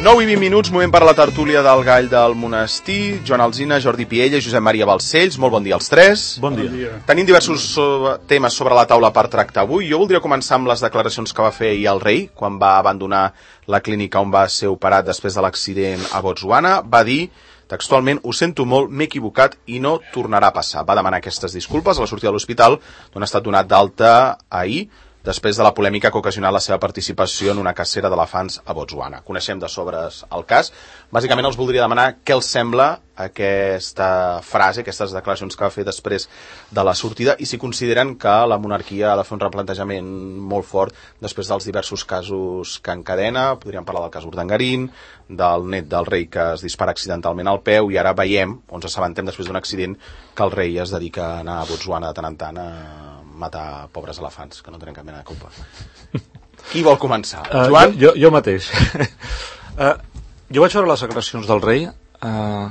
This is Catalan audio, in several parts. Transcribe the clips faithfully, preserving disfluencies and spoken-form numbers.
nou i vint minuts, moment per a la tertúlia del Gall del Monestir. Joan Alsina, Jordi Piella i Josep Maria Balcells. Molt bon dia als tres. Bon dia. Bon dia. Tenim diversos so- temes sobre la taula per tractar avui. Jo voldria començar amb les declaracions que va fer ahir el rei quan va abandonar la clínica on va ser operat després de l'accident a Botswana. Va dir textualment: ho sento molt, m'he equivocat i no tornarà a passar. Va demanar aquestes disculpes a la sortida de l'hospital, on ha estat donat d'alta ahir, després de la polèmica que ha ocasionat la seva participació en una cacera d'elefants a Botswana. Coneixem de sobres el cas. Bàsicament els voldria demanar què els sembla aquesta frase, aquestes declaracions que va fer després de la sortida, i si consideren que la monarquia ha de fer un replantejament molt fort després dels diversos casos que encadena. Podríem parlar del cas Urdangarín, del net del rei que es dispara accidentalment al peu, i ara veiem, on ens assabentem després d'un accident, que el rei es dedica a anar a Botswana de tant en tant a matar pobres elefants, que no tenen cap mena de culpa. Qui vol començar? Uh, Joan? Jo, jo, jo mateix. uh, jo vaig veure les declaracions del rei uh,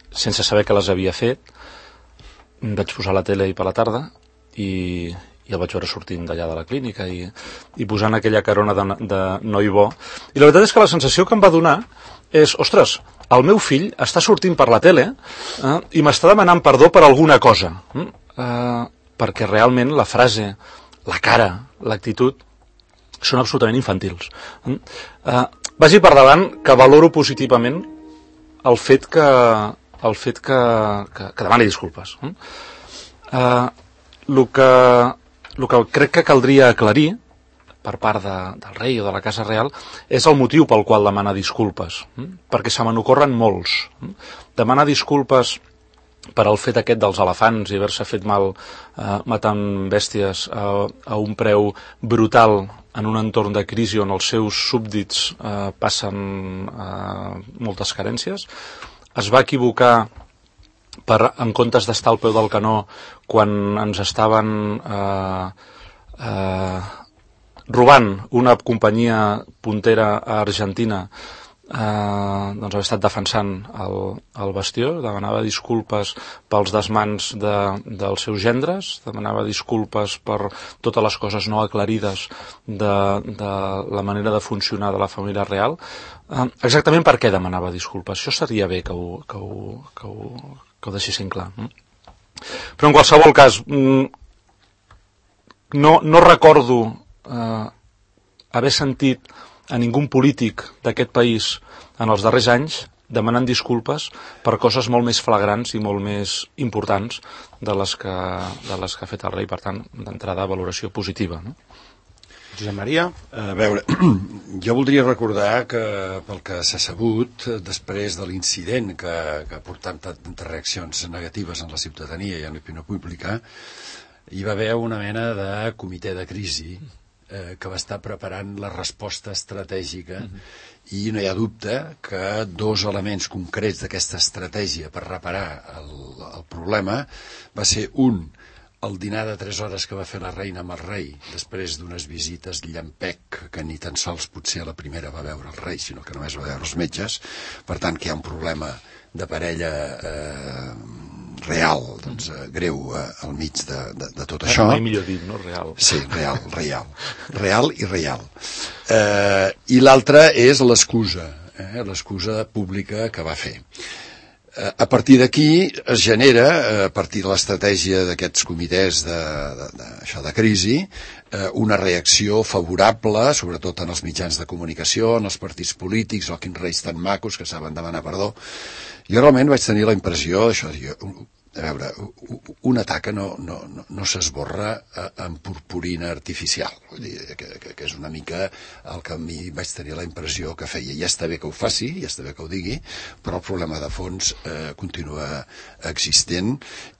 sense saber que les havia fet. Vaig posar la tele ahir per la tarda i, i el vaig veure sortint d'allà de la clínica i, i posant aquella carona de, de noi bo. I la veritat és que la sensació que em va donar és: ostres, el meu fill està sortint per la tele uh, i m'està demanant perdó per alguna cosa. Uh, perquè realment la frase, la cara, l'actitud són absolutament infantils. Uh, vagi per davant que valoro positivament el fet que, el fet que, que, que demani disculpes. Uh, el que, el que crec que caldria aclarir per part de, del rei o de la Casa Real és el motiu pel qual demana disculpes, perquè se me n'ocorren molts. Demanar disculpes per al fet aquest dels elefants i haver-se fet mal eh, matant bèsties a, a un preu brutal en un entorn de crisi on els seus súbdits eh, passen eh, moltes carències. Es va equivocar per, en comptes d'estar al peu del canó quan ens estaven eh, eh, robant una companyia puntera a Argentina. Uh, doncs haver estat defensant el, el bastió, demanava disculpes pels desmans de, dels seus gendres, demanava disculpes per totes les coses no aclarides de, de la manera de funcionar de la família real. Uh, exactament per què demanava disculpes? Això seria bé que ho, que ho, que ho, que ho deixessin clar. Però en qualsevol cas, no, no recordo uh, haver sentit a ningú polític d'aquest país en els darrers anys demanant disculpes per coses molt més flagrants i molt més importants de les que, de les que ha fet el rei. Per tant, d'entrada, valoració positiva, no? Josep Maria? A veure, jo voldria recordar que, pel que s'ha sabut, després de l'incident que, que ha portat tantes reaccions negatives en la ciutadania i en l'opinió pública, hi va haver una mena de comitè de crisi Eh, que va estar preparant la resposta estratègica, uh-huh. i no hi ha dubte que dos elements concrets d'aquesta estratègia per reparar el, el problema va ser un, el dinar de tres hores que va fer la reina amb el rei després d'unes visites llampec que ni tan sols potser a la primera va veure el rei, sinó que només va veure els metges. Per tant, que hi ha un problema de parella eh, real, doncs, eh, greu eh, al mig de, de, de tot això. Mai millor dit, no? Real. Sí, real, real. Real i real. Eh, I l'altra és l'excusa, eh, l'excusa pública que va fer. Eh, a partir d'aquí es genera, eh, a partir de l'estratègia d'aquests comitès de, de, de, això de crisi, eh, una reacció favorable, sobretot en els mitjans de comunicació, en els partits polítics, o quins reis tan macos que saben demanar perdó. Jo realment vaig tenir la impressió, això, jo, a veure, una taca no, no, no, no s'esborra amb purpurina artificial. Vull dir, que, que, que és una mica el que a mi vaig tenir la impressió que feia. Ja està bé que ho faci, ja està bé que ho digui, però el problema de fons eh, continua existent,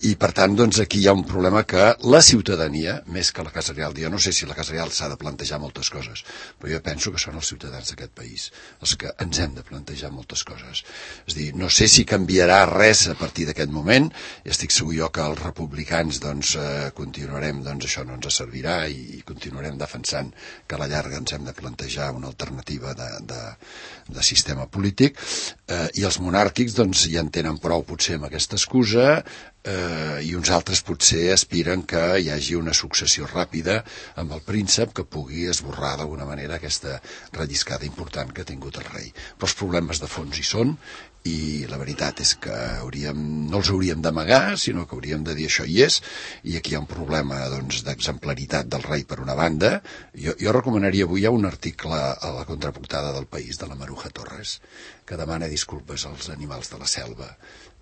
i per tant, doncs, aquí hi ha un problema que la ciutadania, més que la Casa Real, jo no sé si la Casa Real s'ha de plantejar moltes coses, però jo penso que són els ciutadans d'aquest país els que ens hem de plantejar moltes coses. És a dir, no sé si canviarà res a partir d'aquest moment. I estic segur jo que els republicans doncs, eh, continuarem, doncs això no ens servirà, i continuarem defensant que a la llarga ens hem de plantejar una alternativa de, de, de sistema polític, eh, i els monàrquics doncs, ja en tenen prou potser amb aquesta excusa, eh, i uns altres potser aspiren que hi hagi una successió ràpida amb el príncep que pugui esborrar d'alguna manera aquesta relliscada important que ha tingut el rei. Però els problemes de fons hi són, i la veritat és que hauríem, no els hauríem d'amagar, sinó que hauríem de dir això hi és, i aquí hi ha un problema doncs, d'exemplaritat del rei per una banda. Jo, jo recomanaria avui, hi ha un article a la contraportada del País de la Maruja Torres que demana disculpes als animals de la selva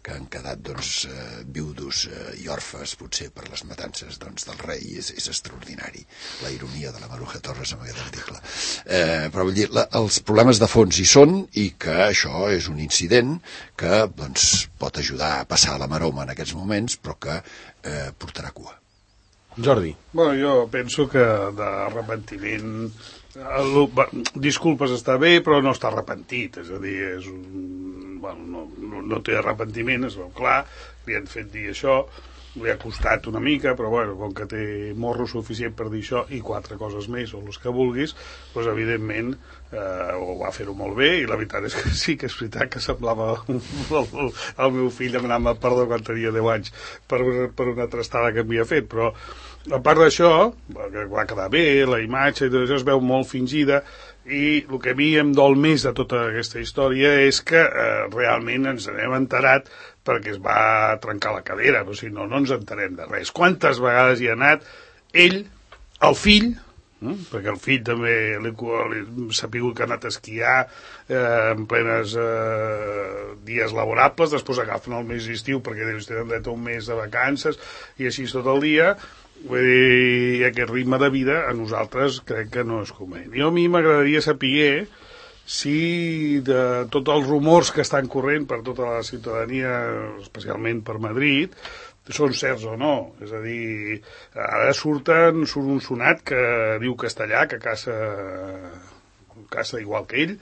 que han quedat doncs, eh, viudos eh, i orfes potser per les matances doncs, del rei. És, és extraordinari la ironia de la Maruja Torres en aquest article. Eh, però vull dir, la, els problemes de fons hi són, i que això és un incident que doncs, pot ajudar a passar la maroma en aquests moments, però que eh, portarà cua. Jordi. Bueno, jo penso que d'arrepentiment... Disculpes està bé, però no està arrepentit. És a dir, és un... bueno, no, no, no té arrepentiment, és clar, li han fet dir això, li ha costat una mica, però bueno, com que té morro suficient per dir això i quatre coses més, o les que vulguis, doncs evidentment eh, ho va fer-ho molt bé, i la veritat és que sí que és veritat que semblava el, el, el meu fill demanant-me perdó quan tenia deu anys per, per una trastada que m'havia fet, però a part d'això, que va quedar bé, la imatge i tot això es veu molt fingida, i el que a mi em dol més de tota aquesta història és que eh, realment ens n'hem enterat perquè es va trencar la cadera, però si no, no ens enterem de res. Quantes vegades hi ha anat ell, el fill, eh? perquè el fill també s'ha pigut que ha anat a esquiar eh, en plenes eh, dies laborables, després agafen el mes d'estiu perquè deus tenen dret a un mes de vacances i així tot el dia. Vull dir, aquest ritme de vida a nosaltres crec que no és convenient. Jo a mi m'agradaria saber si de tots els rumors que estan corrent per tota la ciutadania, especialment per Madrid, són certs o no. És a dir, ara surten, surt un sonat que diu castellà, que caça, caça igual que ell,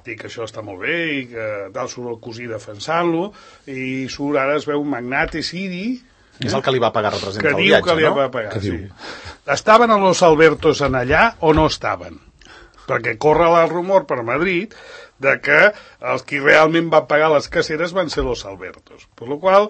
dic que això està molt bé, i que tal surt el cosí defensant-lo, i surt ara es veu un magnate siri, és el que li va pagar representar el viatge, no? Que diu que li va pagar, sí. Estaven a los Albertos en allà o no estaven? Perquè corre el rumor per Madrid de que els qui realment van pagar les caceres van ser los Albertos. Per la qual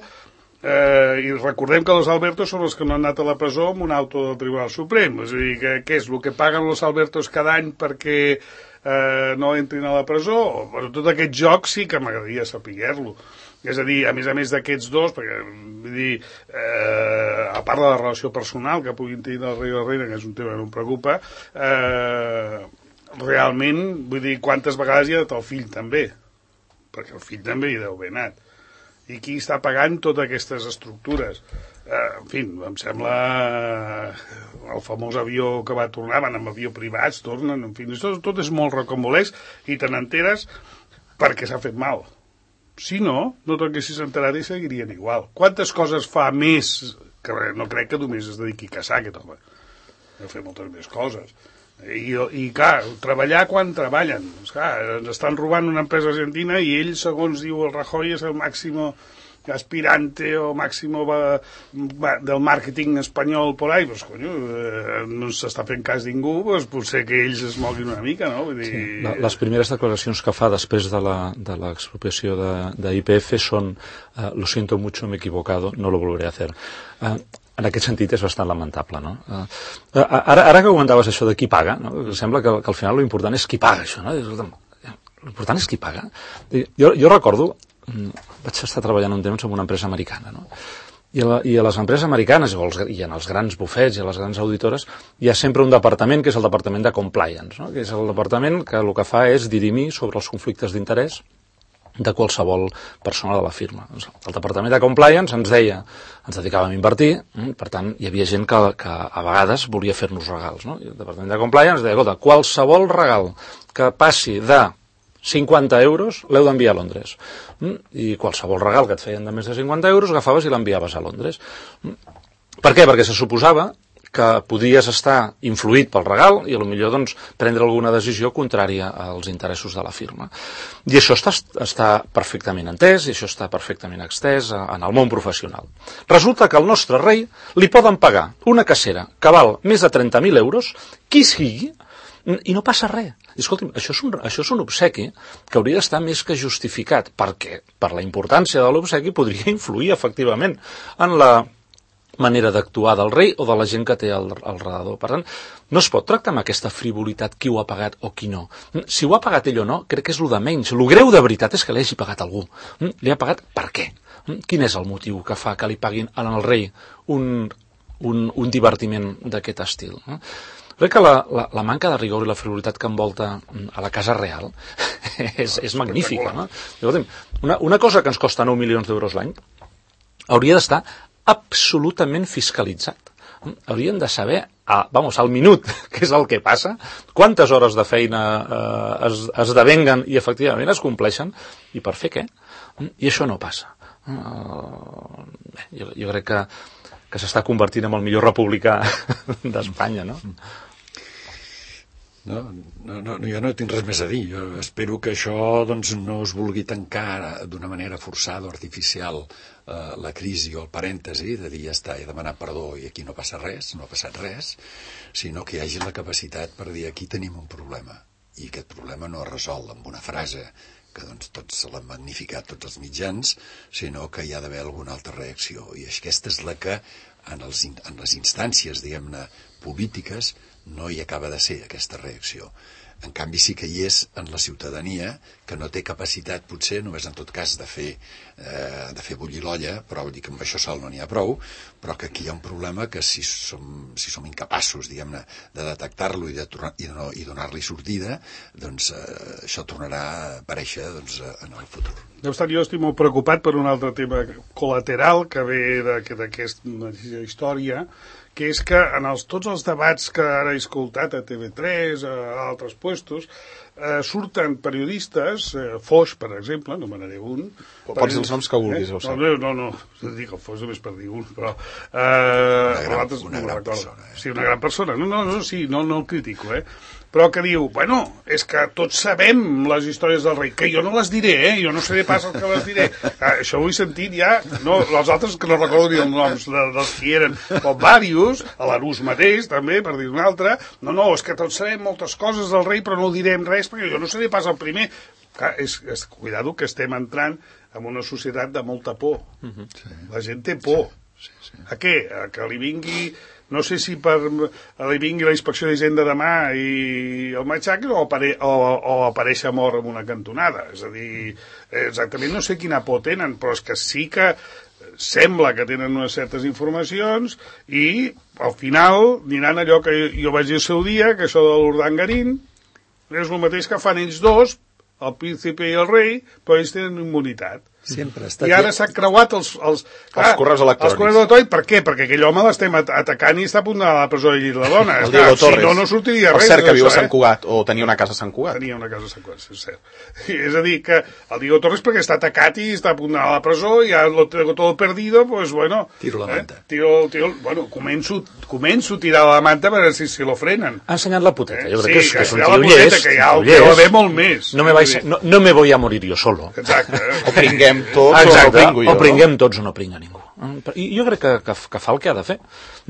eh, i recordem que los Albertos són els que no han anat a la presó amb un auto del Tribunal Suprem. És a dir, que, què és el que paguen los Albertos cada any perquè eh, no entrin a la presó? Bueno, tot aquest joc sí que m'agradaria saber-lo. És a dir, a més a més d'aquests dos, perquè, vull dir, eh, a part de la relació personal que puguin tenir el rei i la reina, que és un tema que no em preocupa, eh, realment, vull dir, quantes vegades hi ha anat el fill també? Perquè el fill també hi deu haver anat. I qui està pagant totes aquestes estructures? Eh, en fi, em sembla el famós avió que va tornar, van amb avió privats, tornen, en fi, tot, tot és molt rocambolesc i te n'enteres perquè s'ha fet mal. Si no, no t'haguessis enterat i seguirien igual. Quantes coses fa més, que no crec que només es dediqui a caçar aquest home, a fer moltes més coses. I, i clar, treballar quan treballen. Clar, ens estan robant una empresa argentina i ell, segons diu el Rajoy, és el màximo aspirante o màximo va, va, del màrqueting espanyol por ahí, pues, conyo, eh, no s'està fent cas ningú, pues, potser que ells es moguin una mica, no? Vull dir... Sí, la, les primeres declaracions que fa després de l'expropiació de, de I P F són uh, lo siento mucho, me he equivocado, no lo volveré a hacer. Uh, en aquest sentit és bastant lamentable, no? Uh, ara, ara que comentaves això de qui paga, no? Sembla que, que al final l'important és qui paga això, no? L'important és qui paga. Jo, jo recordo, vaig estar treballant un temps en una empresa americana, no? I a, la, i a les empreses americanes, i en els grans bufets i a les grans auditores, hi ha sempre un departament que és el departament de compliance, no? Que és el departament que el que fa és dirimir sobre els conflictes d'interès de qualsevol persona de la firma. El departament de compliance ens deia, ens dedicàvem a invertir, per tant, hi havia gent que, que a vegades volia fer-nos regals, no? I el departament de compliance deia, escolta, qualsevol regal que passi de cinquanta euros l'heu d'enviar a Londres. I qualsevol regal que et feien de més de cinquanta euros agafaves i l'enviaves a Londres. Per què? Perquè se suposava que podies estar influït pel regal i potser doncs, prendre alguna decisió contrària als interessos de la firma. I això està, està perfectament entès i això està perfectament extès en el món professional. Resulta que al nostre rei li poden pagar una cacera que val més de trenta mil euros, qui sigui, I no passa res. I, escolti'm, això és, un, això és un obsequi que hauria d'estar més que justificat, perquè per la importància de l'obsequi podria influir efectivament en la manera d'actuar del rei o de la gent que té al, al redador. Per tant, no es pot tractar amb aquesta frivolitat qui ho ha pagat o qui no. Si ho ha pagat ell o no, crec que és el de menys. El greu de veritat és que li hagi pagat algú. Li ha pagat per què? Quin és el motiu que fa que li paguin al rei un, un, un divertiment d'aquest estil? Crec que la, la, la manca de rigor i la frivolitat que envolta a la Casa Real és, és magnífica. No? Una, una cosa que ens costa nou milions d'euros l'any hauria d'estar absolutament fiscalitzat. Haurien de saber, ah, vamos, al minut, què és el que passa, quantes hores de feina eh, es, es devenguen i efectivament es compleixen, i per fer què? I això no passa. Uh, bé, jo, jo crec que, que s'està convertint en el millor republicà d'Espanya, no? No, no, no, jo no tinc res més a dir. Jo espero que això doncs, no es vulgui tancar d'una manera forçada o artificial eh, la crisi o el parèntesi de dir ja està, he demanat perdó i aquí no passa res, no ha passat res, sinó que hi hagi la capacitat per dir aquí tenim un problema i aquest problema no es resol amb una frase que doncs, tots l'han magnificat tots els mitjans, sinó que hi ha d'haver alguna altra reacció i aquesta és la que en, els, en les instàncies, diguem-ne, polítiques no hi acaba de ser aquesta reacció. En canvi sí que hi és en la ciutadania, que no té capacitat potser, només en tot cas de fer, eh, de fer bullir l'olla, però vull dir que amb això sol no n'hi ha prou, però que aquí hi ha un problema que si som, si som incapaços, diguem-ne, de detectar-lo i, de, i, no, i donar-li sortida, doncs eh, això tornarà a aparèixer doncs, en el futur. No obstant, jo estic molt preocupat per un altre tema col·lateral que ve d'aquesta història, que és que en els, tots els debats que ara he escoltat a T V tres, a altres puestos, eh, surten periodistes, eh, Foix, per exemple, no me n'anaré un... Pots dir els noms que vulguis, eh? No, no, no, no, dic el Foix només per dir un, però... Eh, una gran, altres, una no gran persona. Eh? Sí, una gran persona. No, no, no, sí, no, no el critico, eh? Però que diu, bueno, és que tots sabem les històries del rei, que jo no les diré, eh? Jo no seré pas el que les diré. Ah, això ho he sentit ja, no, els altres que no recordo ni els noms de, dels que eren, com Vàrius, a l'Arús mateix, també, per dir un altre, no, no, és que tots sabem moltes coses del rei, però no direm res, perquè jo no seré pas el primer. Clar, és, és, cuidado que estem entrant en una societat de molta por. Uh-huh. Sí. La gent té por. Sí, sí, sí. A què? A que li vingui... No sé si per li vingui la inspecció d'Hisenda demà i el matxac o, apare, o, o aparèixer mort en una cantonada. És a dir, exactament no sé quina por tenen, però és que sí que sembla que tenen unes certes informacions i al final diran allò que jo vaig dir el seu dia, que això de l'Urdangarín és el mateix que fan ells dos, el príncipe i el rei, però ells tenen immunitat. Sempre està I ara s'han creuat els, els, clar, els correus electrònics. Els correus electrònics, per què? Perquè aquell home l'estem atacant i està a punt d'anar a la presó i la dona. El Diego Torres. Si no, no sortiria per res. Per cert, que viu a Sant eh? Cugat, o tenia una casa a Sant Cugat. Tenia una casa a Sant Cugat, és cert. I és a dir, que el Diego Torres perquè està atacat i està a punt d'anar a la presó i ja lo tengo todo perdido, pues bueno... Tiro la manta. Eh? Tiro, tiro, bueno, començo, començo a tirar la manta per veure si, si lo frenen. Ha ensenyat la puteta, jo crec sí, que és, que és un tio llest. Que ja ho deu haver molt més. No me, vais, no, no me voy a morir jo solo. Exacte. O pringuem tots, Exacte. o no pringo jo. O pringuem tots o no pringa ningú. I jo crec que, que, que fa el que ha de fer.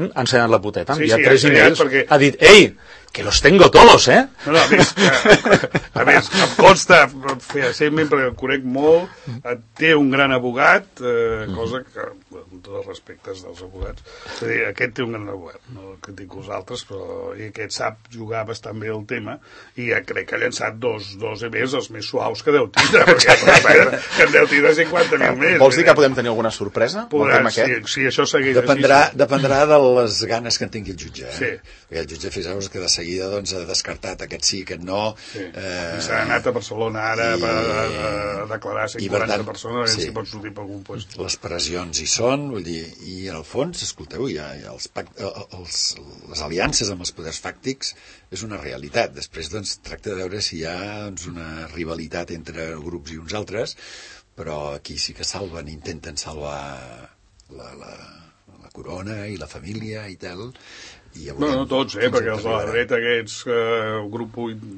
Ha ensenyat la puteta, ha enviat sí, sí, tres emails, perquè... ha dit, ei, que los tengo todos, eh? No, no, a més, que, a més, em consta, feia perquè el conec molt, té un gran abogat, eh, cosa que, amb tots els respectes dels abogats, és a dir, aquest té un gran abogat, no critico els altres, però i aquest sap jugar bastant bé el tema, i ja crec que ha llançat dos, dos emails els més suaus que deu tindre, perquè que en deu tindre cinquanta mil més. Vols dir que podem tenir alguna sorpresa? Podrà, si, si això segueix dependrà, així. Dependrà de les ganes que en tingui el jutge. Eh? Sí. Perquè el jutge, fixeu-vos que de seguida doncs, ha descartat aquest sí, aquest no. Sí. Eh, I s'ha anat a Barcelona ara i, a, a, a declarar cent quaranta tant, persones, sí. si pot sortir per algun lloc. Les pressions hi són, vull dir, i en el fons, escolteu, hi ha, hi ha els, els, les aliances amb els poders fàctics és una realitat. Després doncs, tracta de veure si hi ha doncs, una rivalitat entre grups i uns altres, però aquí sí que salven, intenten salvar la, la, la corona i la família i tal, I ja No, veurem no tots, eh, fins perquè on els de la arribarà. dreta aquests, eh, el grup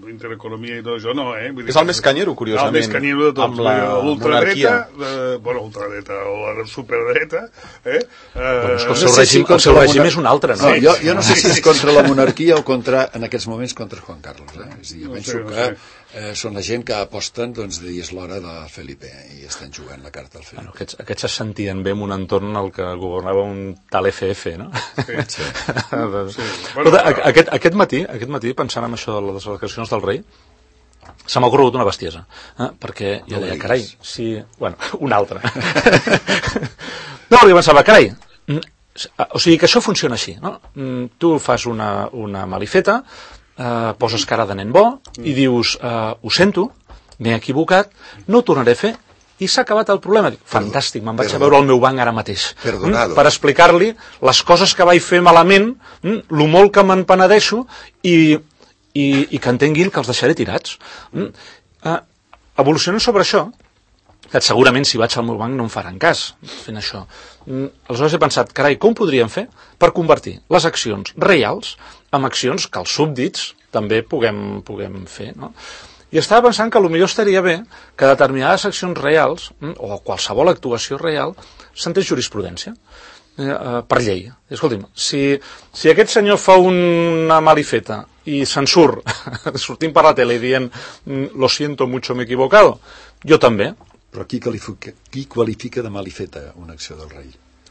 Intereconomia i tot això, no, eh? Vull dir És el que- més canyero, curiosament, El més canyero de tots. amb la L'ultradreta, monarquia. eh, bueno, ultradreta, o la superdreta, eh? Bueno, és que el eh seu No sé si règim, el contra seu la règim monar- és un altre, no? No, jo, jo no sé si és contra la monarquia o contra, en aquests moments, contra Juan Carlos. Eh? És a dir, jo No penso sé, no que sé. eh, són la gent que aposten, doncs, de dir és l'hora de Felipe i estan jugant la carta al Felipe. Bueno, aquests, aquests se sentien bé en un entorn en el que governava un tal F F, no? Sí. Sí. Sí. Bueno, Bueno, a- aquest, aquest matí, aquest matí, pensant en això de les declaracions del rei, se m'ha ocorregut una bestiesa, eh? perquè jo No deia, diguis. carai, si... Bueno, una altra. No, perquè pensava, carai, mm, o sigui que això funciona així, no? Mm, Tu fas una, una malifeta, eh, poses cara de nen bo i dius, eh, ho sento, m'he equivocat, no ho tornaré a fer, i s'ha acabat el problema. Dic, fantàstic, me'n vaig a veure al meu banc ara mateix. Perdonado. Mm, per explicar-li les coses que vaig fer malament, mm, lo molt que me'n penedeixo, i, i, i que entenguin que els deixaré tirats. Mm. Eh, evolucionant sobre això, que segurament si vaig al meu banc no em faran cas fent això. Mm, aleshores he pensat, carai, com podríem fer per convertir les accions reals en accions que els súbdits també puguem, puguem fer, no? I estava pensant que potser estaria bé que determinades accions reals, mm, o qualsevol actuació real, sentés jurisprudència eh, eh, per llei. Escolti'm, si, si aquest senyor fa una malifeta i se'n surt, sortint per la tele i dient mm, lo siento mucho, m'he equivocado, jo també. Però qui qualifica, qui qualifica de malifeta una acció del rei?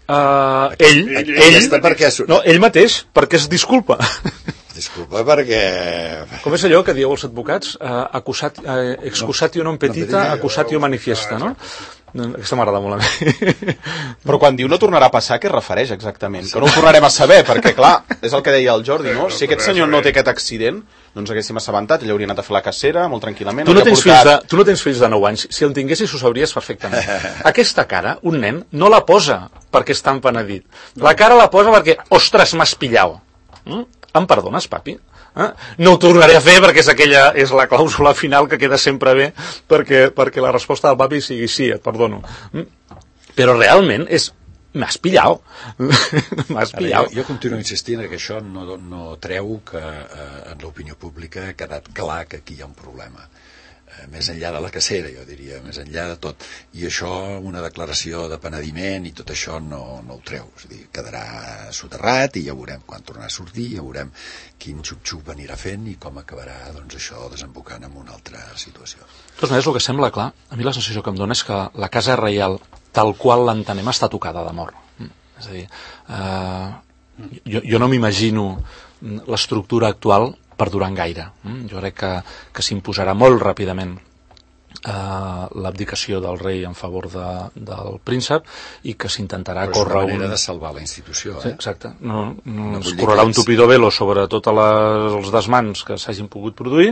Uh, ell, Ell- ell, ell ell, està perquè... su- no, ell mateix, perquè es disculpa. Disculpa, perquè... Com és allò que dieu els advocats? Uh, acusat, uh, excusatio non petita, petita, accusatio manifesta, no? Aquesta m'agrada molt a mi. Però quan diu no tornarà a passar, què es refereix exactament? Que no ho tornarem a saber, perquè clar, és el que deia el Jordi, no? Si aquest senyor no té aquest accident, no ens haguéssim assabentat, ell hauria anat a fer la cacera, molt tranquil·lament. Tu no, hauria tens portat- fills de, tu no tens fills de nou anys. Si el tinguessis ho sabries perfectament. Aquesta cara, un nen, no la posa perquè està empenedit. La cara la posa perquè, ostres, m'has pillau. Mm? Em perdones, papi? Eh? No ho tornaré a fer perquè és, aquella, és la clàusula final que queda sempre bé perquè, perquè la resposta del papi sigui sí, et perdono. Mm? Però realment és m'has pillau. M'has Ara, pillau. jo, jo continuo insistint que això no, no treu que eh, en l'opinió pública ha quedat clar que aquí hi ha un problema. Eh, més enllà de la cacera, jo diria, més enllà de tot. I això, una declaració de penediment i tot això no, no ho treu. És a dir, quedarà soterrat i ja veurem quan tornarà a sortir, ja veurem quin xup-xup anirà fent i com acabarà doncs, això desembocant en una altra situació. De totes maneres, el que sembla clar, a mi la sensació que em dona és que la casa reial, tal qual l'entenem, està tocada de mort. Mm. És a dir, eh, jo, jo no m'imagino l'estructura actual per durant gaire. Mm. Jo crec que, que s'imposarà molt ràpidament Uh, l'abdicació del rei en favor de, del príncep i que s'intentarà Però és córrer una manera un... de salvar la institució, Sí, eh? exacte. No, no, No es vull dir correrà que un ens- tupido velo sobre tots els desmans que s'hagin pogut produir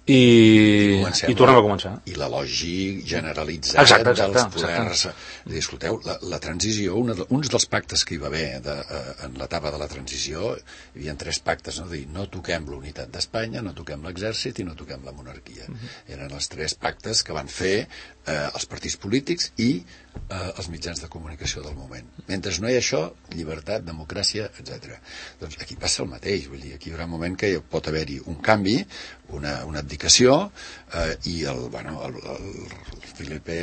i, Comencem i tornem a començar. I l'elogi generalitzat Exacte, exacte, dels poders. exacte. Dir, escolteu, la, la transició, una de, uns dels pactes que hi va haver de, eh, en l'etapa de la transició, hi havia tres pactes, no? Dir, no toquem l'unitat d'Espanya, no toquem l'exèrcit i no toquem la monarquia. Uh-huh. Eren els tres pactes que van fer eh, els partits polítics i eh, els mitjans de comunicació del moment. Mentre no hi ha això, llibertat, democràcia, etcètera. Doncs aquí passa el mateix, vull dir, aquí hi haurà un moment que pot haver-hi un canvi, una, una abdicació eh, i el, bueno, el, el Felipe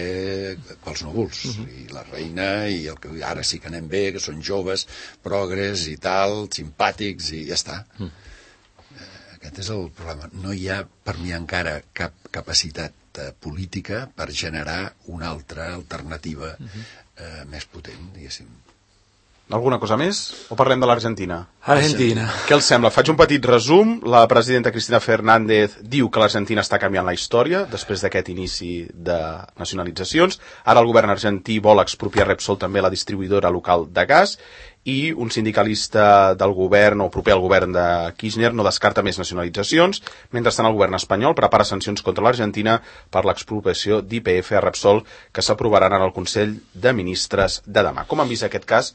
pels núvols, uh-huh. i la reina i el que ara sí que anem bé, que són joves, progres i tal, simpàtics i ja està. Uh-huh. Eh, aquest és el problema. No hi ha per mi encara cap capacitat eh, política per generar una altra alternativa uh-huh. eh, més potent, diguéssim. Alguna cosa més? O parlem de l'Argentina? Argentina. Què els sembla? Faig un petit resum. La presidenta Cristina Fernández diu que l'Argentina està canviant la història després d'aquest inici de nacionalitzacions. Ara el govern argentí vol expropiar Repsol, també la distribuïdora local de gas, i un sindicalista del govern o proper al govern de Kirchner no descarta més nacionalitzacions. Mentrestant, el govern espanyol prepara sancions contra l'Argentina per l'expropiació d'I P F a Repsol que s'aprovaran en el Consell de Ministres de demà. Com han vist aquest cas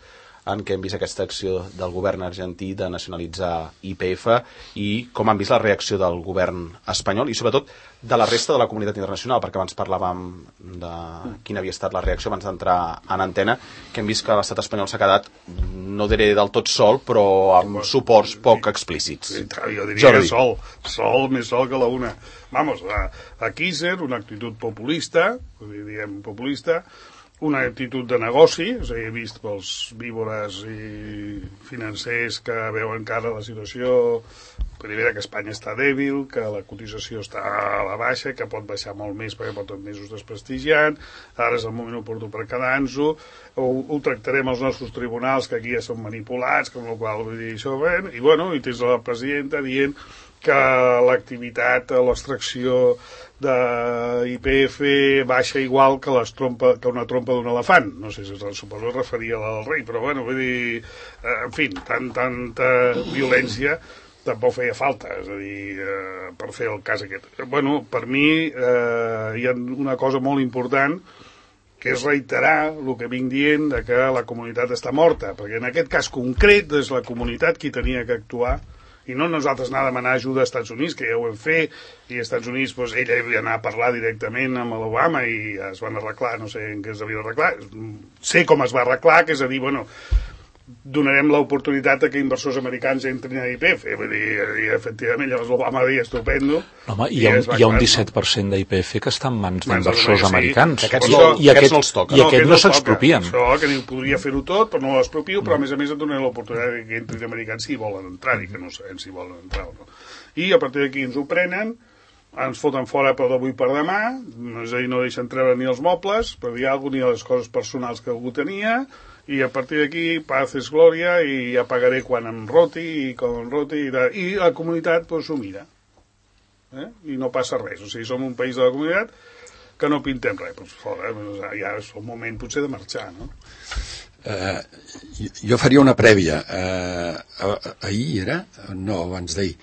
en què hem vist aquesta acció del govern argentí de nacionalitzar I P F i com han vist la reacció del govern espanyol i sobretot de la resta de la comunitat internacional, perquè abans parlàvem de quina havia estat la reacció abans d'entrar en antena, que hem vist que l'estat espanyol s'ha quedat, no diré del tot sol, però amb suports poc explícits. Jo diria que sol, sol, més sol que la una. Vamos, aquí és una actitud populista, diguem populista, una actitud de negoci, és a dir, he vist pels víbores i financers que veuen cara la situació, primera que Espanya està dèbil, que la cotització està a la baixa, que pot baixar molt més perquè porten mesos desprestigiant, ara és el moment oportú per quedar-nos-ho, ho, ho tractarem als nostres tribunals, que aquí ja són manipulats, com la qual vull dir això, bé, i bueno, i tens la presidenta dient que l'activitat, l'extracció d'I P F baixa igual que, les trompa, que una trompa d'un elefant. No sé si suposo que es referia al rei, però bueno, vull dir, en fi, tant, tanta violència tampoc feia falta, és a dir, eh, per fer el cas aquest. Bueno, per mi eh, hi ha una cosa molt important, que és reiterar el que vinc dient de que la comunitat està morta, perquè en aquest cas concret és la comunitat qui tenia que actuar, i no nosaltres anar a demanar ajuda als Estats Units, que ja ho hem fet, i als Estats Units doncs, ell havia d'anar a parlar directament amb l'Obama i es van arreglar, no sé en què es devia arreglar, sé com es va arreglar, que és a dir, bueno, donarem l'oportunitat que inversors americans entrin a I P F, vull dir, i efectivament llavors l'Obama va dir estupendo. No, home, hi ha, un, hi ha un disset per cent d'I P F que està en mans d'inversors sí. americans. Aquests I, no, i aquest, no els toca. I aquest no, no s'expropien. Això, que diu, podria fer-ho tot, però no l'expropio, però a més a més et donaré l'oportunitat que entrin americans si volen entrar-hi, que no sabem si volen entrar o no. I a partir d'aquí ens ho prenen, ens foten fora per d'avui per demà, és a dir, no deixen treure ni els mobles, per dir alguna cosa, ni les coses personals que algú tenia, i a partir d'aquí paz és glòria i ja pagaré quan em roti i com em roti i, i la comunitat pues, s'ho mira eh? I no passa res, o sigui, som un país de la comunitat que no pintem res pues, fora, ja és el moment potser de marxar, no? Uh, jo faria una prèvia uh, ahir era? No, abans d'ahir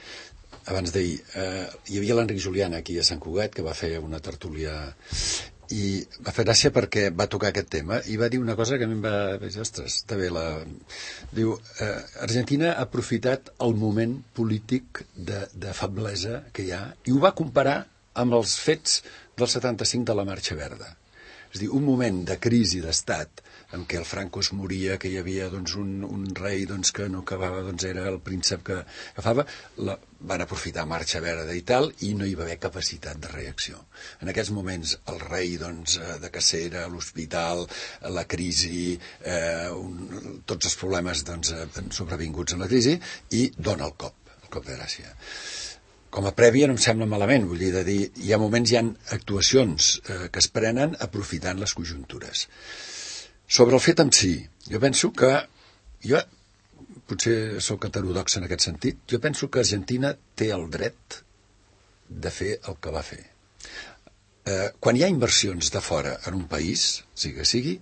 abans d'ahir uh, hi havia l'Enric Julián aquí a Sant Cugat que va fer una tertúlia i va fer gràcia perquè va tocar aquest tema i va dir una cosa que a mi em va dir, ostres, està bé la... diu, eh, Argentina ha aprofitat el moment polític de, de feblesa que hi ha i ho va comparar amb els fets del setanta-cinc de la Marxa Verda. És a dir, un moment de crisi d'estat en què el Franco es moria, que hi havia doncs, un, un rei doncs, que no acabava, doncs, era el príncep que agafava, la, van aprofitar Marxa Verda i tal, i no hi va haver capacitat de reacció. En aquests moments el rei doncs, de cacera, l'hospital, la crisi, eh, un, tots els problemes doncs, sobrevinguts en la crisi, i dona el cop, el cop de gràcia. Com a prèvia no em sembla malament, vull dir, de dir, hi ha moments, hi ha actuacions eh, que es prenen aprofitant les conjuntures. Sobre el fet en si, jo penso que, jo potser sóc heterodox en aquest sentit, jo penso que Argentina té el dret de fer el que va fer. Eh, quan hi ha inversions de fora en un país, sigui que sigui,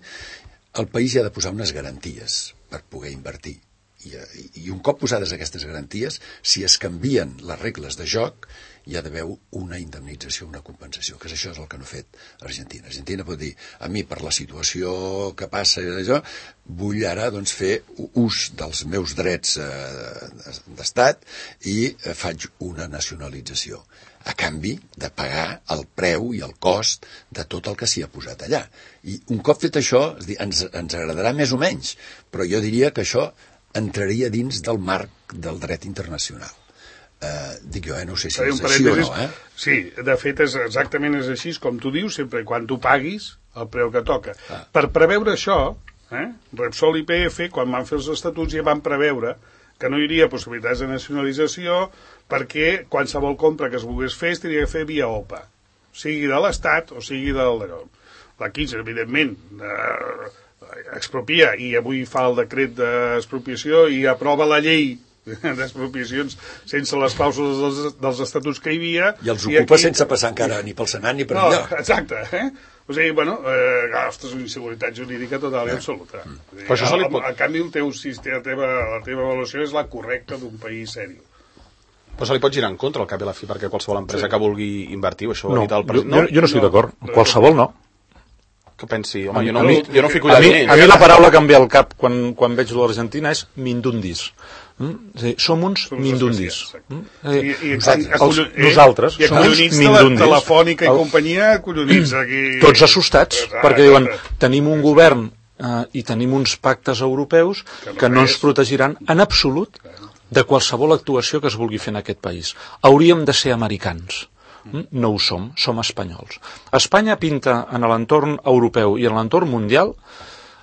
el país hi ha de posar unes garanties per poder invertir. I, i un cop posades aquestes garanties, si es canvien les regles de joc, hi ha d'haver una indemnització, una compensació, que és això és el que no ha fet Argentina. Argentina pot dir, a mi per la situació que passa i d'això, vull ara doncs, fer ús dels meus drets eh, d'estat i eh, faig una nacionalització, a canvi de pagar el preu i el cost de tot el que s'hi ha posat allà. I un cop fet això, és dir, ens, ens agradarà més o menys, però jo diria que això entraria dins del marc del dret internacional. Uh, dic jo, eh? No sé si és així o no, eh? Sí, de fet és exactament és així, com tu dius, sempre i quan tu paguis el preu que toca. Ah. Per preveure això, eh? Repsol i I P F, quan van fer els estatuts, ja van preveure que no hi hauria possibilitats de nacionalització perquè qualsevol compra que es volgués fer es tenia que fer via O P A, sigui de l'Estat o sigui del... La quinze, evidentment, eh, expropia i avui fa el decret d'expropiació i aprova la llei d'expropiacions sense les clàusules dels, dels estatuts que hi havia. I els ocupa i aquí... sense passar encara ni pel Senat ni per no, enlloc. Exacte, eh? O sigui, bueno, eh, ostres, una inseguretat jurídica total i absoluta. Mm. Dir, Però això se li pot... A, a canvi, el teu sistema, la, teva, la teva avaluació és la correcta d'un país seri. Però se li pot girar en contra al cap i a la fi, perquè qualsevol empresa sí. que vulgui invertir, això ho no, ha dit el president. Jo, jo, jo no estic no, d'acord. No, qualsevol no. que pensi, home, jo no, mi, jo no fico allà a mi, diners. a mi la paraula que em ve al cap quan, quan veig l'Argentina és mindundis. Mm? És a dir, som uns Som mindundis. I, Mm? i, i, Nosaltres, acollo- els, nosaltres i som uns acollonits de la mindundis. Telefònica i El- companyia, acollonits aquí... Tots assustats, Exacte. perquè diuen, tenim un govern eh, i tenim uns pactes europeus Que no que no és. ens protegiran en absolut de qualsevol actuació que es vulgui fer en aquest país. Hauríem de ser americans. Mm? No ho som, som espanyols. Espanya pinta en l'entorn europeu i en l'entorn mundial,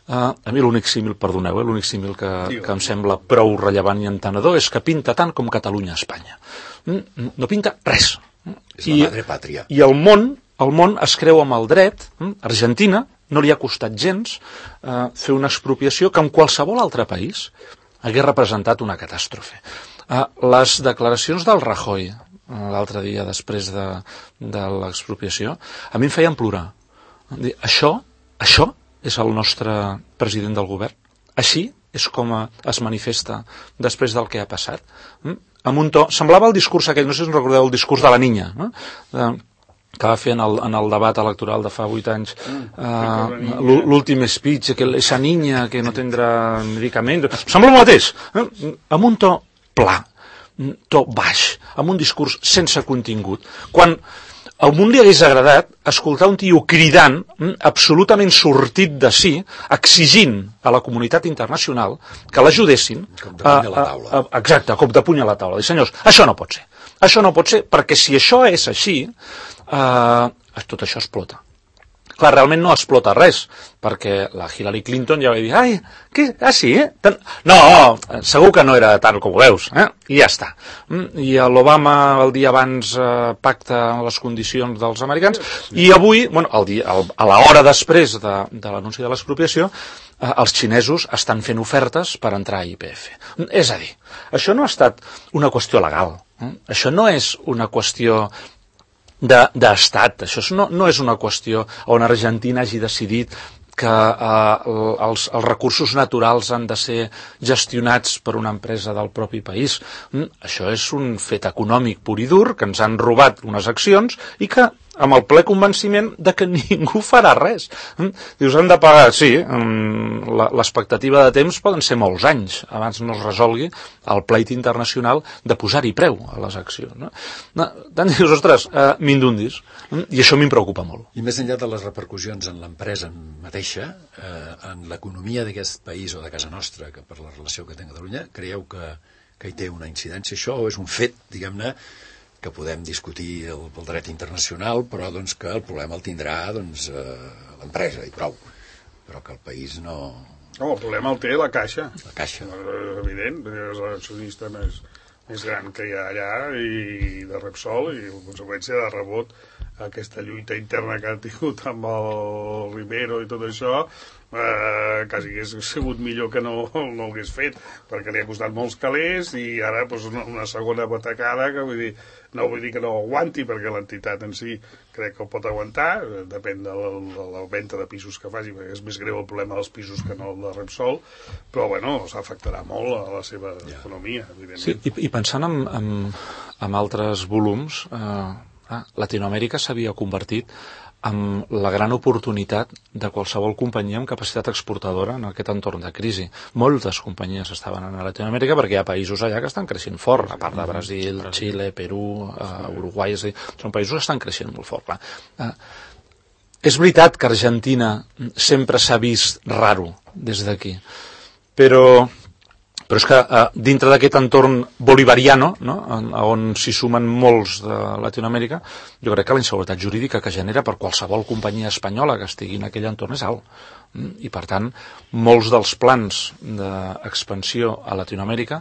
eh, a mi l'únic símil, perdoneu, eh, l'únic símil que, que em sembla prou rellevant i entenedor és que pinta tant com Catalunya a Espanya. Mm? No pinta res. És la madre pàtria. I el món, el món es creu amb el dret. Mm? Argentina no li ha costat gens eh, fer una expropiació que en qualsevol altre país hagués representat una catàstrofe. Eh, les declaracions del Rajoy eh, l'altre dia després de, de l'expropiació a mi em feien plorar. Dir, això, això és el nostre president del govern? Així és com es manifesta després del que ha passat? Mm? Amb un to, semblava el discurs aquell, no sé si us recordeu el discurs de la niña, no? De, que va fer en el, en el debat electoral de fa vuit anys, uh, l'últim speech, que esa niña que no tindrà medicaments... Sembla el mateix, eh? Amb un to pla, un to baix, amb un discurs sense contingut. Quan al món li hagués agradat escoltar un tio cridant, absolutament sortit de si, exigint a la comunitat internacional que l'ajudessin... Cop de puny a la taula. A, a, exacte, cop de puny a la taula. Dir, senyors, això no pot ser. Això no pot ser, perquè si això és així, eh, tot això explota. Clar, realment no explota res, perquè la Hillary Clinton ja va dir, ai, què? Ah, sí, eh? Tan... No, segur que no era tant com ho veus, eh? I ja està. I l'Obama el dia abans eh, pacta les condicions dels americans, i avui, bueno, el dia, el, a l'hora després de, de l'anunci de l'expropiació, eh, els xinesos estan fent ofertes per entrar a I P F. És a dir, això no ha estat una qüestió legal, eh? Això no és una qüestió d'estat, això no, no és una qüestió on Argentina hagi decidit que eh, els, els recursos naturals han de ser gestionats per una empresa del propi país. Mm, això és un fet econòmic pur i dur, que ens han robat unes accions i que amb el ple convenciment de que ningú farà res. Mm, dius, han de pagar, sí, mm, l'expectativa de temps poden ser molts anys abans no es resolgui el pleit internacional de posar-hi preu a les accions. No? No, tant dius, ostres, eh, mindundis, mm, i això m'hi preocupa molt. I més enllà de les repercussions en l'empresa mateixa, eh, en l'economia d'aquest país o de casa nostra, que per la relació que té amb Catalunya, creieu que, que hi té una incidència això, o és un fet, diguem-ne, que podem discutir el, el dret internacional, però doncs, que el problema el tindrà doncs, eh, l'empresa i prou, però que el país no... No, el problema el té la Caixa. La Caixa. És evident, és l'accionista més, més gran que hi ha allà i de Repsol, i en conseqüència de rebot aquesta lluita interna que ha tingut amb el Rivero i tot això, eh, quasi hagués sigut millor que no, no ho hagués fet, perquè li ha costat molts calés i ara doncs, una, una segona batacada que vull dir, no vull dir que no ho aguanti, perquè l'entitat en si crec que ho pot aguantar, depèn de la, de la venda de pisos que faci, perquè és més greu el problema dels pisos que no el de Repsol, però bueno, s'afectarà molt a la seva yeah. economia, evidentment. Sí, i, i pensant en, en, en altres volums, eh, ah, Latinoamèrica s'havia convertit en la gran oportunitat de qualsevol companyia amb capacitat exportadora en aquest entorn de crisi. Moltes companyies estaven a Latinoamèrica perquè hi ha països allà que estan creixent fort, a part de Brasil, Xile, Perú, uh, Uruguai, és a dir, són països que estan creixent molt fort. Clar. Uh, és veritat que Argentina sempre s'ha vist raro des d'aquí, però... Però és que eh, dintre d'aquest entorn bolivariano, no? on s'hi sumen molts de Latinoamèrica, jo crec que la inseguretat jurídica que genera per qualsevol companyia espanyola que estigui en aquell entorn és alt. I per tant, molts dels plans d'expansió a Latinoamèrica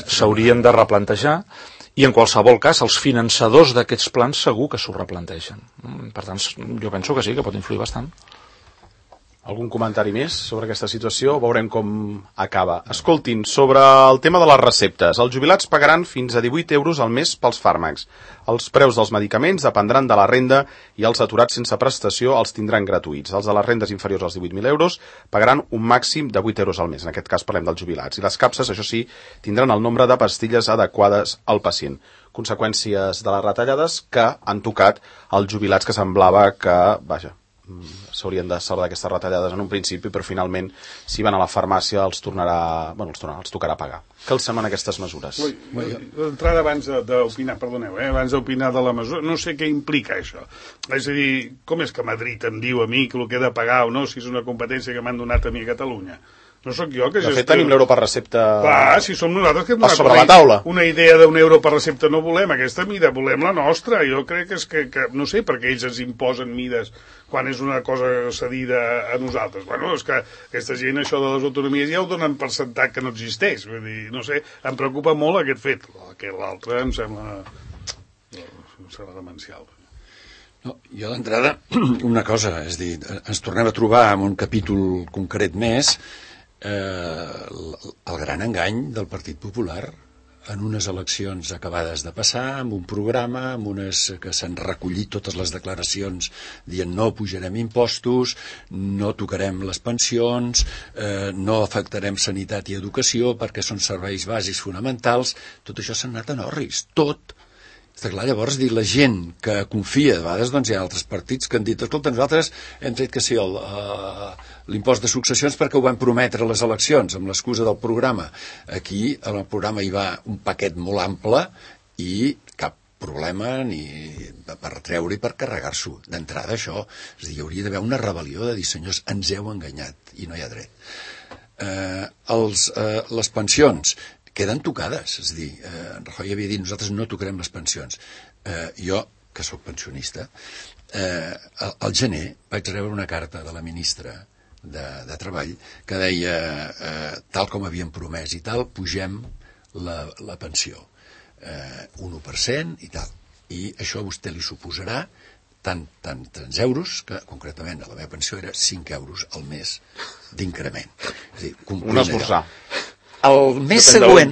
s'haurien de replantejar i en qualsevol cas els finançadors d'aquests plans segur que s'ho replantegen. Per tant, jo penso que sí, que pot influir bastant. Algun comentari més sobre aquesta situació? Veurem com acaba. Escoltin, sobre el tema de les receptes. Els jubilats pagaran fins a divuit euros al mes pels fàrmacs. Els preus dels medicaments dependran de la renda i els aturats sense prestació els tindran gratuïts. Els de les rendes inferiors als divuit mil euros pagaran un màxim de vuit euros al mes. En aquest cas parlem dels jubilats. I les capses, això sí, tindran el nombre de pastilles adequades al pacient. Conseqüències de les retallades que han tocat els jubilats que semblava que, vaja, s'haurien de salvar d'aquestes retallades en un principi, però finalment, si van a la farmàcia, els tornarà, bueno, els, tornarà, els tocarà pagar. Què els semblen aquestes mesures? D'entrada, abans d'opinar, perdoneu, eh, abans d'opinar de la mesura, no sé què implica això. És a dir, com és que Madrid em diu a mi que el que he de pagar o no, si és una competència que m'han donat a mi a Catalunya? No sóc jo que gestiono... De fet, tenim l'euro per recepta... Clar, si som nosaltres que hem donat sobre la taula. Una idea d'un euro per recepta no volem, aquesta mida, volem la nostra. Jo crec que és que, que no sé per què ells ens imposen mides quan és una cosa cedida a nosaltres. Bueno, és que aquesta gent, això de les autonomies, ja ho donen per sentat que no existeix. Vull dir, no sé, em preocupa molt aquest fet. Que l'altre em sembla... em sembla demencial. No, jo d'entrada, una cosa, és dir, ens tornem a trobar en un capítol concret més eh, el gran engany del Partit Popular en unes eleccions acabades de passar, amb un programa, amb unes que s'han recollit totes les declaracions dient no pujarem impostos, no tocarem les pensions, eh, no afectarem sanitat i educació perquè són serveis bàsics fonamentals. Tot això s'ha anat en orris, tot. Està clar, llavors, dir, la gent que confia, de vegades doncs, hi ha altres partits que han dit, escolta, nosaltres hem tret que sí l'impost de successions perquè ho vam prometre a les eleccions, amb l'excusa del programa. Aquí, en el programa hi va un paquet molt ample i cap problema ni per treure i per carregar-s'ho. D'entrada, això, és dir, hi hauria d'haver una rebel·lió de dir, senyors, ens heu enganyat i no hi ha dret. Eh, els, eh, les pensions queden tocades, és a dir, eh, en Rajoy havia dit nosaltres no tocarem les pensions. Eh, jo, que sóc pensionista, eh, al, al gener vaig rebre una carta de la ministra de, de Treball que deia, eh, tal com havíem promès i tal, pugem la, la pensió. Eh, un u per cent i tal. I això a vostè li suposarà tant, tant, tants euros, que concretament a la meva pensió era cinc euros al mes d'increment. És a dir, un esmorzar. El mes següent,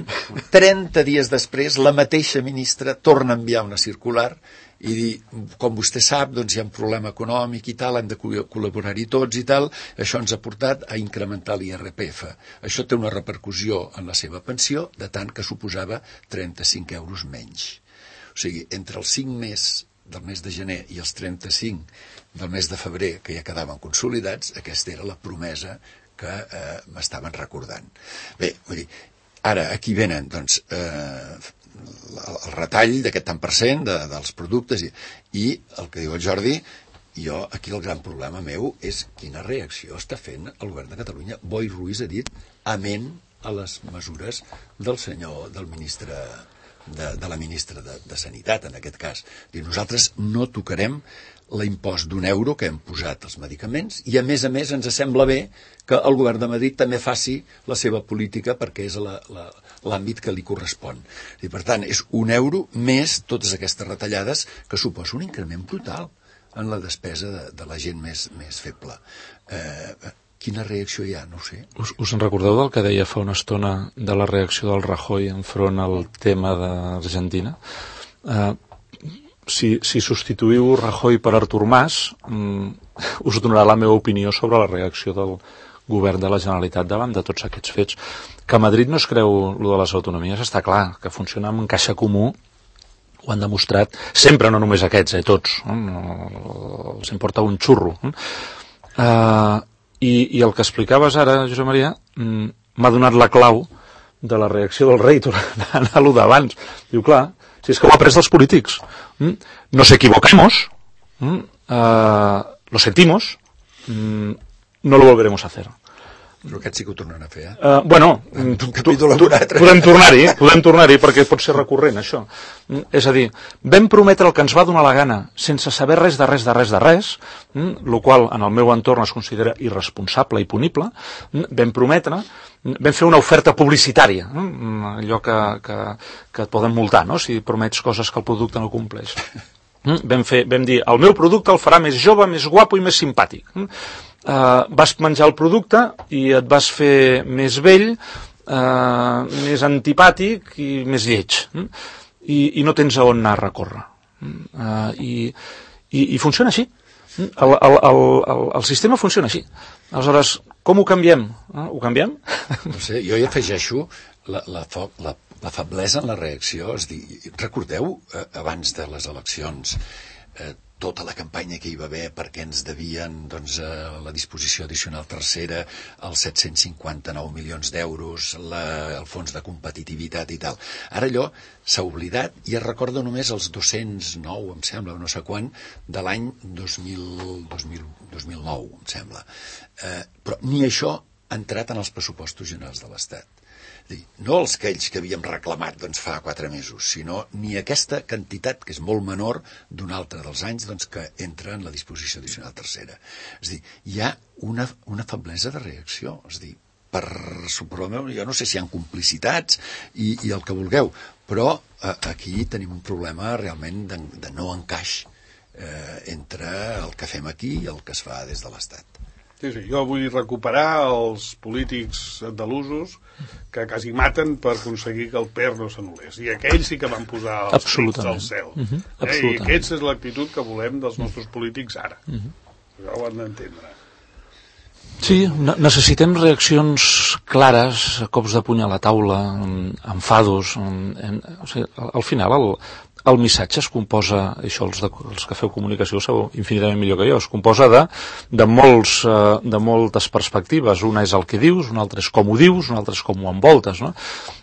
trenta dies després, la mateixa ministra torna a enviar una circular i dir, com vostè sap, doncs hi ha un problema econòmic i tal, hem de col·laborar-hi tots i tal, això ens ha portat a incrementar l'I R P F. Això té una repercussió en la seva pensió, de tant que suposava trenta-cinc euros menys. O sigui, entre els cinc mesos del mes de gener i els trenta-cinc del mes de febrer, que ja quedaven consolidats, aquesta era la promesa que eh, m'estaven recordant. Bé, vull dir, ara aquí venen doncs, eh, el retall d'aquest tant per cent de, dels productes i, i el que diu el Jordi, jo aquí el gran problema meu és quina reacció està fent el govern de Catalunya. Boi Ruiz ha dit amén a les mesures del senyor, del ministre de, de la ministra de, de Sanitat, en aquest cas. Diu, nosaltres no tocarem l'impost d'un euro que hem posat als medicaments i a més a més ens sembla bé que el govern de Madrid també faci la seva política perquè és l'àmbit que li correspon. I per tant, és un euro més totes aquestes retallades que suposa un increment brutal en la despesa de, de la gent més, més feble. Eh, quina reacció hi ha? No ho sé. Us, us en recordeu del que deia fa una estona de la reacció del Rajoy enfront al tema d'Argentina? Eh, Si, si substituïu Rajoy per Artur Mas, mm, us donarà la meva opinió sobre la reacció del govern de la Generalitat davant de tots aquests fets. Que a Madrid no es creu lo de les autonomies, està clar, que funciona amb un caixa comú, ho han demostrat sempre, no només aquests, eh, tots, no? Els importa un xurro. Eh? Uh, i, I el que explicaves ara, Josep Maria, mm, m'ha donat la clau de la reacció del rei, tornant a lo d'abans. Diu, clar, si és que ho ha pres dels polítics. ¿Mm? Nos equivocamos, ¿Mm? uh, lo sentimos, mm, no lo volveremos a hacer. Però aquest sí que ho tornen a fer, eh? Uh, bueno, un capítol amb un altre. Podem tornar-hi, podem tornar-hi, perquè pot ser recurrent, això. Mm, és a dir, vam prometre el que ens va donar la gana, sense saber res de res de res de res, mm, el qual en el meu entorn es considera irresponsable i punible, mm, vam prometre, mm, vam fer una oferta publicitària, mm, allò que, que, que et poden multar, no?, si promets coses que el producte no compleix. Mm, vam, fer, vam dir, el meu producte el farà més jove, més guapo i més simpàtic. Mm, Uh, vas menjar el producte i et vas fer més vell, uh, més antipàtic i més lleig. Mm? I, i no tens a on anar a recórrer. Uh, i, i, I funciona així. El, el, el, el, el sistema funciona així. Aleshores, com ho canviem? Uh, ho canviem? No sé, jo hi afegeixo la, la, la, la feblesa en la reacció. És dir, recordeu, eh, abans de les eleccions, eh, tota la campanya que hi va haver perquè ens devien doncs, la disposició addicional tercera, els set cents cinquanta-nou milions d'euros, el fons de competitivitat i tal. Ara allò s'ha oblidat i es recorda només els dos-cents nou, em sembla, no sé quan, de l'any dos mil nou, em sembla. Eh, però ni això ha entrat en els pressupostos generals de l'Estat. No els que ells que havíem reclamat doncs, fa quatre mesos, sinó ni aquesta quantitat, que és molt menor d'un altre dels anys doncs, que entra en la disposició addicional tercera. És a dir, hi ha una, una feblesa de reacció. És a dir, per suposar, jo no sé si hi ha complicitats i, i el que vulgueu, però eh, aquí tenim un problema realment de, de no encaix eh, entre el que fem aquí i el que es fa des de l'Estat. Sí, sí, jo vull recuperar els polítics andalusos que quasi maten per aconseguir que el P E R no s'anul·lés. I aquells sí que van posar els pits al cel. Uh-huh. Eh? I aquesta és l'actitud que volem dels nostres polítics ara. Uh-huh. Això ho han d'entendre. Sí, necessitem reaccions clares, cops de puny a la taula, enfados. En, en, o sigui, al final el, el missatge es composa, això els, de, els que feu comunicació ho sabeu infinitament millor que jo, es composa de, de, molts, de moltes perspectives. Una és el que dius, una altra és com ho dius, una altra és com ho envoltes. No?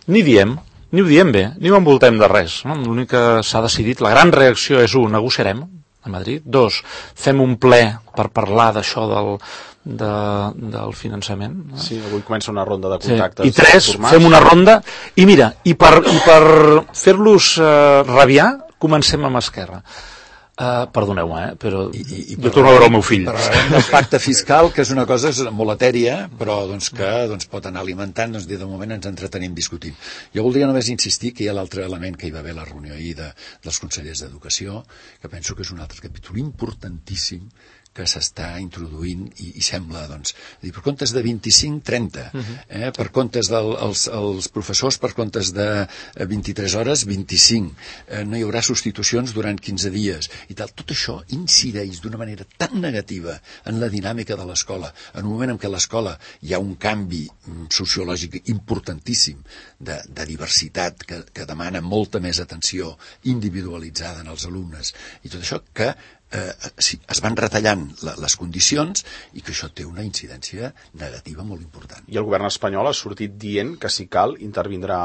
Ni diem, ni ho diem bé, ni ho envoltem de res. No? L'únic que s'ha decidit, la gran reacció és un, negociarem a Madrid. Dos, fem un ple per parlar d'això del, de, del finançament. No? Sí, avui comença una ronda de contactes. Sí. I tres, fem una ronda, i mira, i per, i per fer-los eh, rabiar, comencem amb Esquerra. Uh, perdoneu-me, eh, però I, i, i jo torno a veure el meu fill. Parlarem del pacte fiscal, que és una cosa molt etèria, però doncs, que doncs, pot anar alimentant, doncs, de moment ens entretenim discutint. Jo voldria només insistir que hi ha l'altre element que hi va haver a la reunió ahir de, dels consellers d'Educació, que penso que és un altre capítol importantíssim que s'està introduint i, i sembla, doncs, dir, per comptes de vint-i-cinc, trenta, eh, per comptes dels els professors, per comptes de vint-i-tres hores, vint-i-cinc, eh, no hi haurà substitucions durant quinze dies, i tal. Tot això incideix d'una manera tan negativa en la dinàmica de l'escola, en un moment en què a l'escola hi ha un canvi sociològic importantíssim de, de diversitat que, que demana molta més atenció individualitzada en els alumnes, i tot això que Eh, sí, es van retallant la, les condicions i que això té una incidència negativa molt important. I el govern espanyol ha sortit dient que si cal intervindrà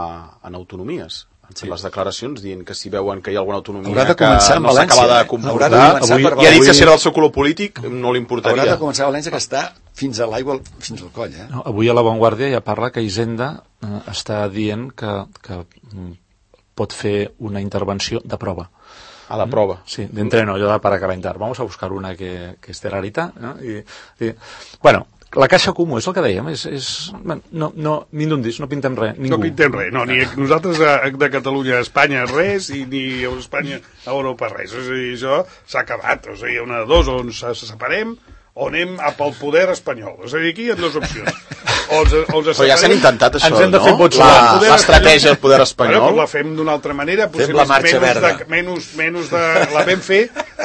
en autonomies. Han fet sí. les declaracions dient que si veuen que hi ha alguna autonomia que no s'acaba de comportar, eh? avui, i ha dit que si era el seu color polític no li importaria. Haurà de començar a València, que està fins a l'aigua, fins al coll. Eh? No, avui a La Vanguardia ja parla que Hisenda eh, està dient que, que pot fer una intervenció de prova. A la prova. Sí, de entreno, yo para calentar. Vamos a buscar una que, que esté rarita. ¿No? Y, y, bueno, la caixa comú, és el que dèiem, és, és, no, no, mindundis, no pintem res, ningú. No pintem res, no, ni nosaltres a, de Catalunya a Espanya res, i ni a Espanya a Europa res. És a dir, això s'ha acabat. O sigui, una de dos, o ens separem, o anem a pel poder espanyol. És a dir, aquí hi ha dues opcions. O ens, o ens però ja s'han intentat això, ens hem de no? Fer vots l'estratègia del poder espanyol. Bueno, la fem d'una altra manera, potser la marxa menys verda. De, menys, menys de... La vam fer,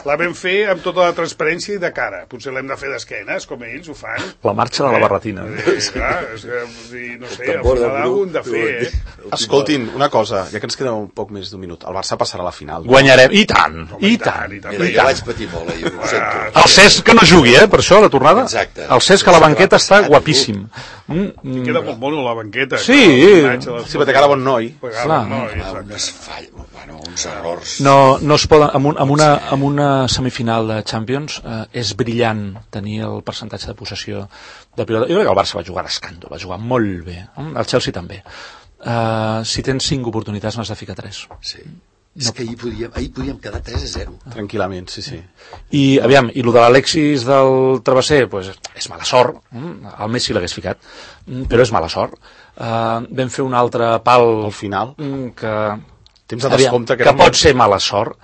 la vam fer amb tota la transparència i de cara. Potser l'hem de fer d'esquenes, com ells ho fan. La marxa de la barretina. Eh, clar, és que, no sé, al final ho hem de fer, eh? Escoltin, una cosa, ja que ens queda un poc més d'un minut. El Barça passarà a la final. No? Guanyarem, i tant, Home, i, i tant. I tant, Mira, jo vaig patir molt, eh? Ho sento. El Cesc que no jugui, eh, per això, la tornada. Exacte. El Cesc a la banqueta està guapíssim. Mm, queda molt mono la banqueta. Sí, sí, perquè cara bon noi. Clar. Unes falles, bueno, uns errors. No, no es poden, amb, un, amb, una, amb una semifinal de Champions eh, és brillant tenir el percentatge de possessió de pilota. Jo crec que el Barça va jugar a escàndol, va jugar molt bé. El Chelsea també. Uh, si tens cinc oportunitats n'has de ficar tres. Sí. És no. que ahir podíem, ahir podíem quedar tres a zero. Tranquil·lament, sí, sí. I, aviam, i el de l'Alexis del Travesser, pues, és mala sort. El Messi l'hagués ficat, però és mala sort. Uh, vam fer un altre pal al final, que, temps de descompte, que, que pot ser mala sort.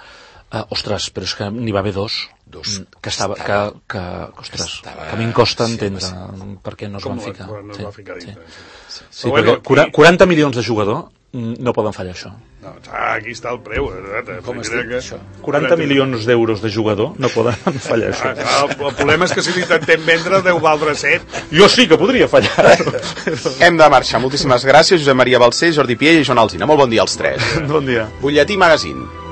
Uh, ostres, però és que n'hi va haver dos. Dos. Que estava, estava, que, que, ostres, estava, que a mi em costa sí, entendre sí. per què no es van ficar. No es va ficar dintre. Sí, sí. sí, sí perquè bueno, quaranta milions de jugador no poden fallar això. No, aquí està el preu. Eh? Com estic, que... això? quaranta milions d'euros de jugador no poden fallar això. Ah, clar, el, el problema és que si l'intentem vendre deu valdre set. Jo sí que podria fallar. Hem de marxar. Moltíssimes gràcies, Josep Maria Balcells, Jordi Piell i Joan Alsina. Molt bon dia als tres. Bon dia. Butlletí Magazine.